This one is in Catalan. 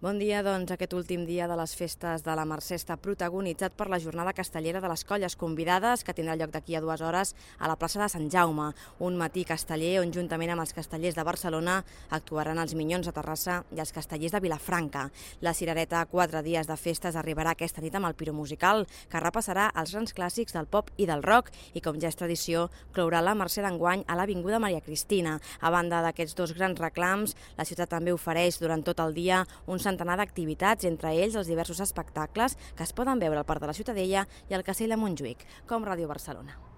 Bon dia, doncs aquest últim dia de les festes de la Mercè està protagonitzat per la jornada castellera de les colles convidades que tindrà lloc d'aquí a 2 hores a la plaça de Sant Jaume, un matí casteller on juntament amb els castellers de Barcelona actuaran els Minyons de Terrassa i els castellers de Vilafranca. La cirereta 4 dies de festes arribarà aquesta nit amb el piromusical que repassarà els grans clàssics del pop i del rock i, com ja és tradició, clourà la Mercè d'enguany a l'Avinguda Maria Cristina. A banda d'aquests dos grans reclams, la ciutat també ofereix durant tot el dia un centenar d'activitats, entre ells els diversos espectacles que es poden veure al Parc de la Ciutadella i al Castell de Montjuïc, com Ràdio Barcelona.